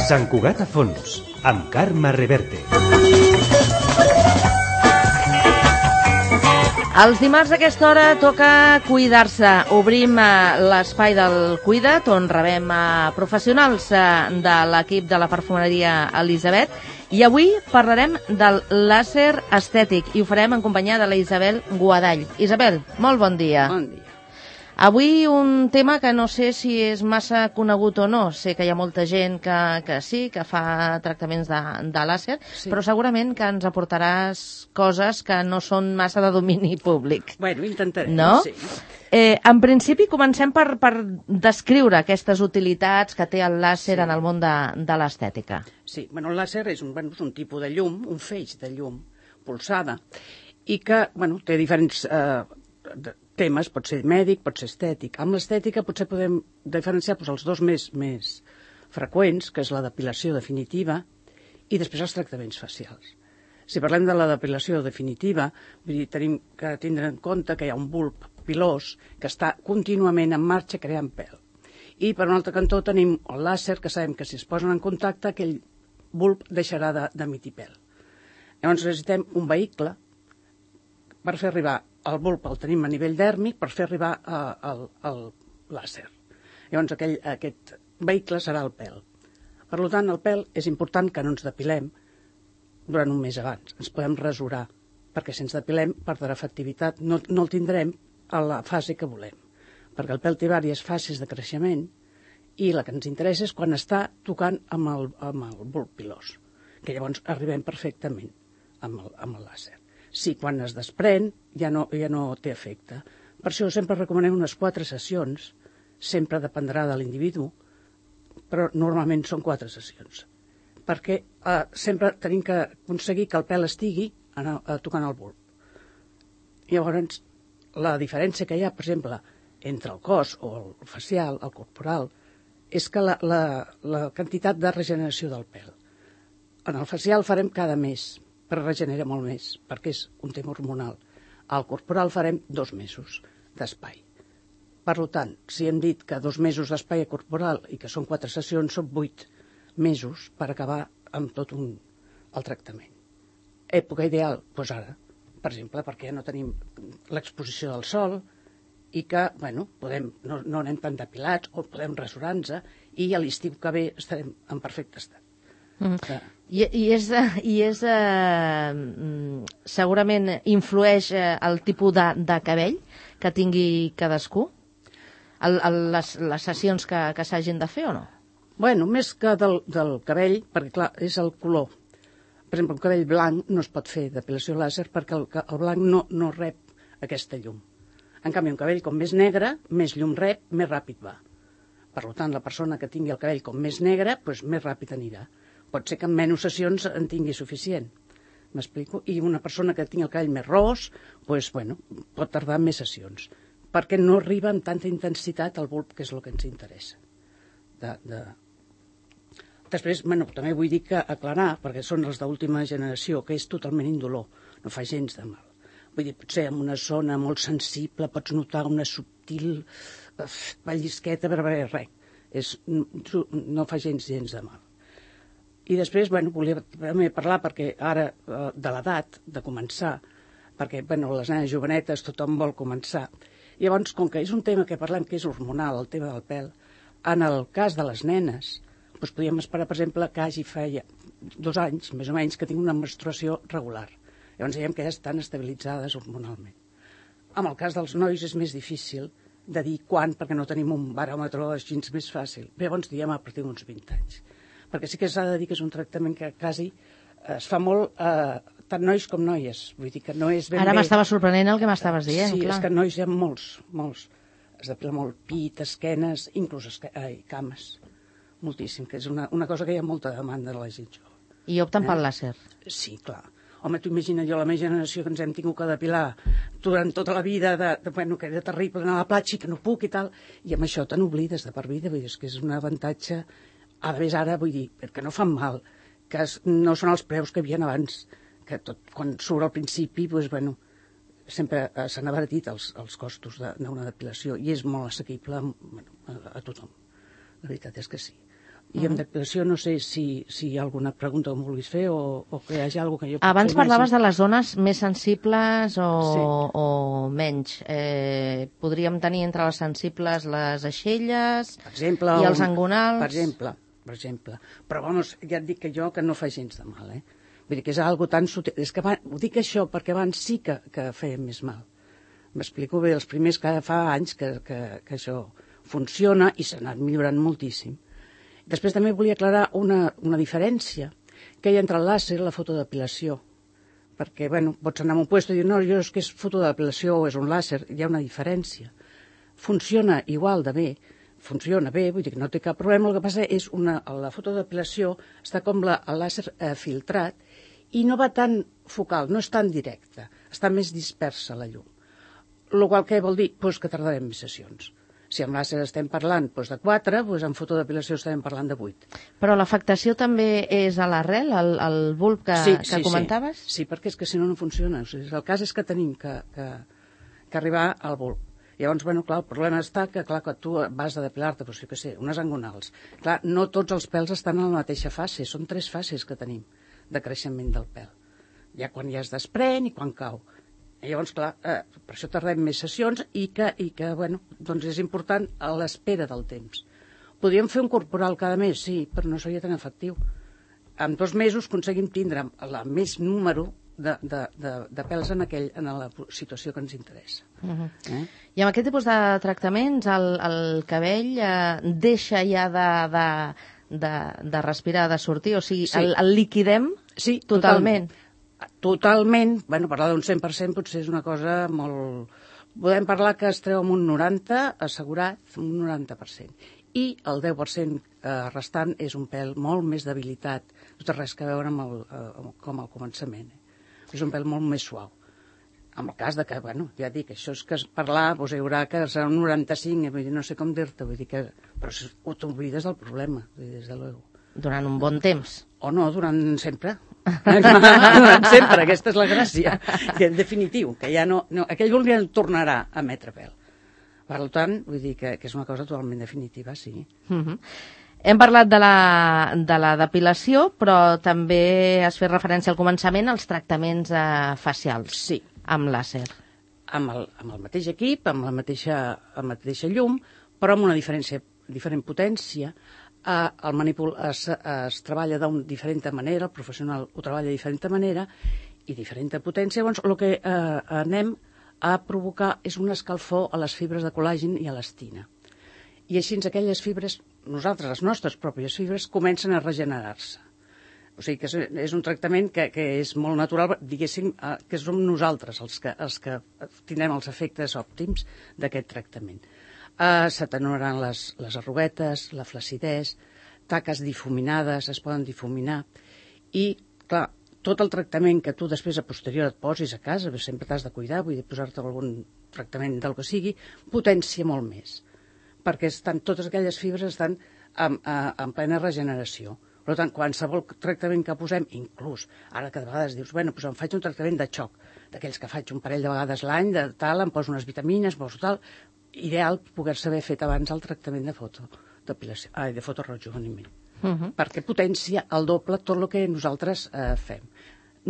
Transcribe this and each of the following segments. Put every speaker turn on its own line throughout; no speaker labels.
Sant Cugat a fons, amb Carme Reverte.
Els dimarts a aquesta hora toca cuidar-se. Obrim l'espai del Cuida't, on rebem professionals de l'equip de la perfumeria Elisabet. I avui parlarem del làser estètic i ho farem en companyia de la Isabel Guadall. Isabel, molt bon dia.
Bon dia.
Avui un tema que no sé si és massa conegut o no. Sé que hi ha molta gent que sí, que fa tractaments de làser, sí, però segurament que ens aportaràs coses que no són massa de domini públic.
Bueno, intentarem,
no?
Sí.
En principi comencem per descriure aquestes utilitats que té el làser, sí, en el món de l'estètica.
Sí, bueno, el làser és un tipus de llum, un feix de llum pulsada, i que té diferents temes, pot ser mèdic, pot ser estètic. Amb l'estètica potser podem diferenciar els dos més freqüents, que és la depilació definitiva i després els tractaments facials. Si parlem de la depilació definitiva, tenim que tindre en compte que hi ha un bulb pilós que està contínuament en marxa creant pèl. I per un altre cantó tenim el làser, que sabem que si es posen en contacte aquell bulb deixarà d'emitir pèl. Llavors necessitem un vehicle per fer arribar el bulb el tenim a nivell dèrmic per fer arribar al làser. Llavors aquest vehicle serà el pèl. Per tant, el pèl és important que no ens depilem durant un mes abans. Ens podem rasurar, perquè si ens depilem perdrà efectivitat. No el tindrem a la fase que volem, perquè el pèl té diverses fases de creixement i la que ens interessa és quan està tocant amb el bulb pilós, que llavors arribem perfectament amb el làser. Sí, quan es desprèn ja no té efecte. Per això sempre recomanem unes 4 sessions, sempre dependrà de l'individu, però normalment són 4 sessions, perquè sempre tenim que aconseguir que el pèl estigui tocant el bulb. Llavors, la diferència que hi ha, per exemple, entre el cos o el facial, el corporal, és que la quantitat de regeneració del pèl. En el facial farem cada mes, per regenerar molt més, perquè és un tema hormonal. Al corporal farem 2 mesos d'espai. Per tant, si hem dit que 2 mesos d'espai corporal i que són 4 sessions, són 8 mesos per acabar amb tot el tractament. Època ideal? Doncs ara, per exemple, perquè ja no tenim l'exposició del sol i que, no anem tan depilats o podem rasurar-nos i a l'estiu que ve estarem en perfecte estat.
Segurament influeix el tipus de cabell que tingui cadascú? Les sessions que s'hagin de fer o no?
Més que del cabell, perquè clar, és el color. Per exemple, un cabell blanc no es pot fer depilació làser perquè el blanc no rep aquesta llum. En canvi, un cabell com més negre, més llum rep, més ràpid va. Per tant, la persona que tingui el cabell com més negre, més ràpid anirà. Pot ser que en menys sessions en tingui suficient. M'explico? I una persona que tingui el cabell més ros, pot tardar més sessions, perquè no arriba amb tanta intensitat al bulb, que és el que ens interessa. Després, també vull dir que aclarar, perquè són els d'última generació, que és totalment indolor, no fa gens de mal. Vull dir, potser en una zona molt sensible pots notar una subtil pellizqueta, però res, no fa gens de mal. I després, volia també parlar perquè ara de l'edat, de començar, perquè les nenes jovenetes tothom vol començar. Llavors, com que és un tema que parlem que és hormonal, el tema del pèl, en el cas de les nenes, podríem esperar, per exemple, que feia 2 anys, més o menys, que tinc una menstruació regular. Llavors diem que ja estan estabilitzades hormonalment. En el cas dels nois és més difícil de dir quan, perquè no tenim un baròmetre així més fàcil. Llavors diem a partir d'uns 20 anys. Perquè sí que s'ha de dir que és un tractament que quasi es fa molt tant nois com noies. Vull dir que no és ben bé...
Ara m'estava sorprenent el que m'estaves dient,
sí,
clar.
És que nois hi ha molts. Es depila molt pit, esquenes, inclús cames. Moltíssim, que és una cosa que hi ha molta demanda de la gent jove.
I opten pel làser?
Sí, clar. Home, tu imagina't jo, la meva generació, que ens hem tingut que depilar durant tota la vida, que era terrible anar a la platja i que no puc i tal, i amb això te n'oblides de per vida, vull dir, és que és un avantatge. A més, ara, vull dir, que no fan mal, que no són els preus que hi havia abans, que tot, quan surt al principi, sempre s'han abaratit els costos d'una depilació i és molt assequible a tothom. La veritat és que sí. I amb depilació no sé si hi ha alguna pregunta que em vulguis fer o que hi hagi alguna que jo...
Abans parlaves de les zones més sensibles o menys. Podríem tenir entre les sensibles les aixelles i els angonals...
Per exemple. Però, vamos, ja et dic que jo que no fa gens de mal, Vull dir que és algo tan sutil. És que ho dic això perquè abans sí que feia més mal. M'explico bé, els primers que fa anys que això funciona i s'ha anat millorant moltíssim. Després també volia aclarar una diferència que hi ha entre el làser i la fotodepilació. Perquè, bueno, pots anar a un puesto i dir, no, jo és que és fotodepilació o és un làser, hi ha una diferència. Funciona igual de bé, vull dir que no té cap problema, el que passa és la fotodepilació està com el làser filtrat i no va tan focal, no és tan directa, està més dispersa la llum. El qual què vol dir? Pues que tardarem més sessions. Si amb làser estem parlant de 4, doncs amb fotodepilació estem parlant de 8.
Però l'afectació també és a l'arrel, al bulb que comentaves?
Sí, perquè és que si no funciona. O sigui, el cas és que tenim que arribar al bulb. Llavors, bueno, clar, el problema està que, clar, que tu vas a depilar-te, doncs, jo què sé, unes angonals. Clar, no tots els pèls estan en la mateixa fase, són 3 fases que tenim de creixement del pèl. Ja quan ja es desprèn i quan cau. I llavors, clar, per això tardem més sessions i que bueno, doncs és important a l'espera del temps. Podríem fer un corporal cada mes, sí, però no seria tan efectiu. En 2 mesos aconseguim tindre el més número de pèls en la situació que ens interessa.
I amb aquest tipus de tractaments el cabell deixa ja de respirar, de sortir? O sigui, el liquidem totalment?
Totalment, bueno, parlar d'un 100% potser és una cosa molt... Podem parlar que es treu amb un 90, assegurat, un 90%. I el 10% restant és un pèl molt més debilitat, no té res a veure com al començament. És un pèl molt més suau. En el cas de que, bueno, ja dic, això és que parlar, doncs hi haurà que serà un 95, vull dir, no sé com dir-te, vull dir que... Però t'oblides del problema, vull dir, des de luego.
Durant un bon temps.
O no, durant sempre. Durant sempre, aquesta és la gràcia. Que en definitiu, que ja no aquell bulb ja no tornarà a emetre pèl. Per tant, vull dir que és una cosa totalment definitiva, sí.
Hem parlat de la depilació, però també has fet referència al començament als tractaments facials. Sí. Amb làser.
Amb el mateix equip, amb la mateixa llum, però amb una diferent potència. El manipul es treballa d'una diferent manera, el professional ho treballa de diferent manera i diferent potència. Llavors, el que anem a provocar és un escalfor a les fibres de col·làgen i a l'estina. I així aquelles fibres, les nostres pròpies fibres, comencen a regenerar-se. O sigui que és un tractament que és molt natural, diguéssim, que som nosaltres els que tindrem els efectes òptims d'aquest tractament. S'atenuaran les arruguetes, la flaccidesa, taques difuminades, es poden difuminar. I, clar, tot el tractament que tu després a posterior et posis a casa, sempre t'has de cuidar, vull dir, posar-te algun tractament del que sigui, potència molt més. Perquè totes aquelles fibres estan en plena regeneració. Per tant, qualsevol tractament que posem, inclús, ara que de vegades dius, bueno, doncs em faig un tractament de xoc, d'aquells que faig un parell de vegades l'any, de tal, em poso unes vitamines, poso tal, ideal poder-se haver fet abans el tractament de fotorejuveniment. Perquè potencia al doble tot el que nosaltres fem.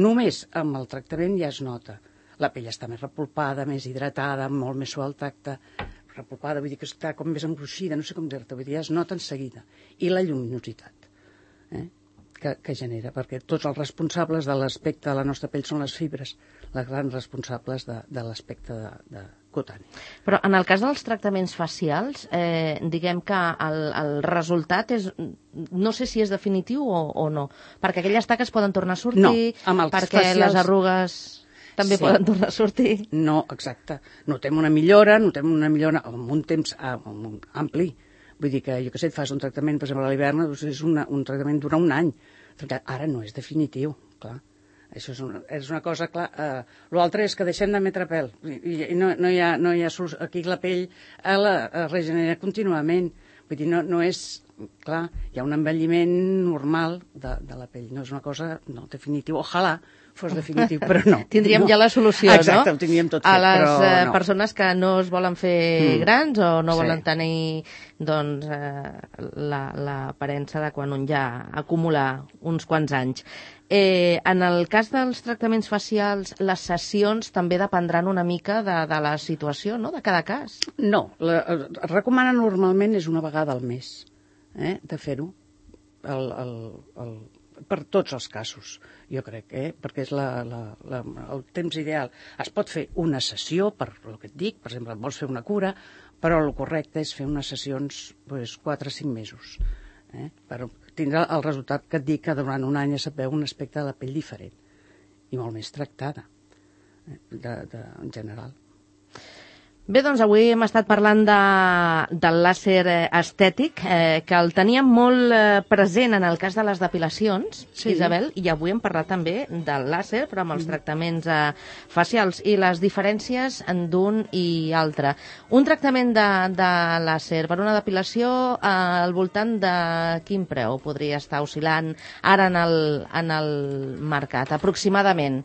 Només amb el tractament ja es nota. La pell està més repulpada, més hidratada, molt més suau al tacte. Repulpada, vull dir que està com més engruixida, no sé com dir-te, vull dir, ja es nota en seguida. I la lluminositat que genera, perquè tots els responsables de l'aspecte de la nostra pell són les fibres, les grans responsables de l'aspecte cutani.
Però en el cas dels tractaments facials, diguem que el resultat és, no sé si és definitiu o no, perquè aquelles taques poden tornar a sortir, perquè les arrugues també poden tornar a sortir.
No, exacte. Notem una millora en un temps ampli. Vull dir que, jo què sé, et fas un tractament, per exemple, a l'hivern, és un tractament dura un any. Ara no és definitiu, clar. Això és una cosa, clar. L'altre és que deixem d'emetre pèl. I no hi ha solució. Aquí la pell la regenera contínuament. Vull dir, no és clar, hi ha un envelliment normal de la pell. No és una cosa definitiva. Ojalà fos definitiu, però no.
Tindríem
no.
ja la solució,
Exacte,
no?
ho tindríem tot fet,
a les
però no.
persones que no es volen fer grans o no
Sí.
volen tenir doncs, l'aparença de quan un ja acumula uns quants anys. En el cas dels tractaments facials, les sessions també dependran una mica de la situació, no?, de cada cas.
No, recomana normalment és una vegada al mes de fer-ho, per tots els casos, jo crec, perquè és el temps ideal. Es pot fer una sessió, per el que et dic, per exemple, vols fer una cura, però el correcte és fer unes sessions 4 o 5 mesos, per tindre el resultat que et dic, que durant un any es veu un aspecte de la pell diferent i molt més tractada, en general.
Bé, doncs avui hem estat parlant del làser estètic, que el teníem molt present en el cas de les depilacions, sí. Isabel, i avui hem parlat també del làser, però amb els tractaments facials i les diferències d'un i altre. Un tractament de làser per una depilació al voltant de quin preu podria estar oscil·lant ara en el mercat, aproximadament,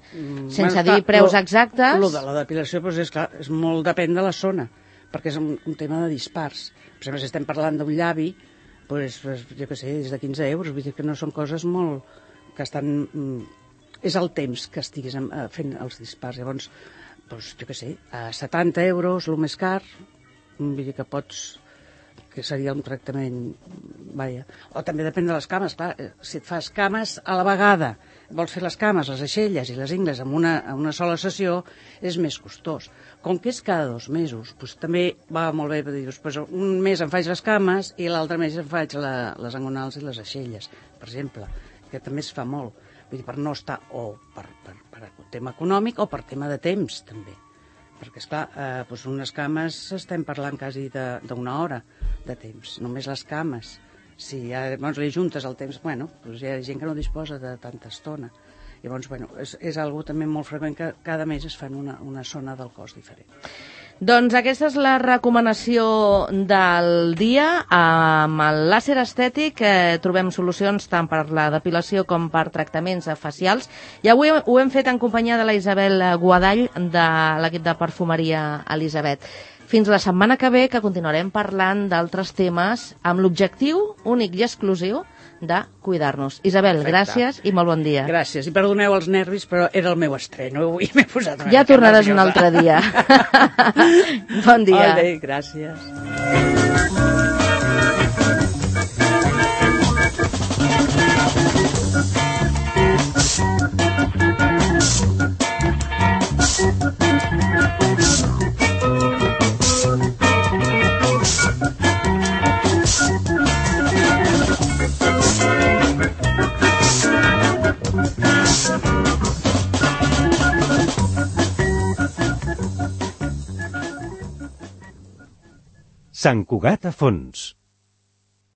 sense dir preus exactes?
Lo de la depilació, doncs és clar, és molt depèn de la zona, perquè és un tema de dispars. Per exemple, si estem parlant d'un llavi, doncs, jo què sé, és de 15 euros, vull dir que no són coses molt... que estan... És el temps que estiguis fent els dispars. Llavors, doncs, jo què sé, a 70 euros, el més car, vull dir que pots... que seria un tractament... Vaja. O també depèn de les cames, clar, si et fas cames a la vegada, vols fer les cames, les aixelles i les ingles en una sola sessió, és més costós. Com que és cada 2 mesos, doncs també va molt bé dir, doncs un mes em faig les cames i l'altre mes em faig les angonals i les aixelles, per exemple, que també es fa molt. Vull dir, per no estar, o per tema econòmic o per tema de temps, també. Perquè, esclar, doncs unes cames estem parlant quasi d'una hora de temps, només les cames. Si llavors li juntes el temps, bueno, doncs hi ha gent que no disposa de tanta estona. Llavors, bueno, és algo també molt freqüent que cada mes es fan una zona del cos diferent.
Doncs aquesta és la recomanació del dia. Amb el làser estètic trobem solucions tant per la depilació com per tractaments facials. I avui ho hem fet en companyia de la Isabel Guadall, de l'equip de perfumeria Elisabet. Fins la setmana que ve, que continuarem parlant d'altres temes amb l'objectiu únic i exclusiu de cuidar-nos. Isabel, gràcies i molt bon dia.
Gràcies, i perdoneu els nervis, però era el meu estreno, avui m'he posat una
ja tornaràs un altre dia. Bon dia.
Molt bé, gràcies.
Sant Cugat a fons.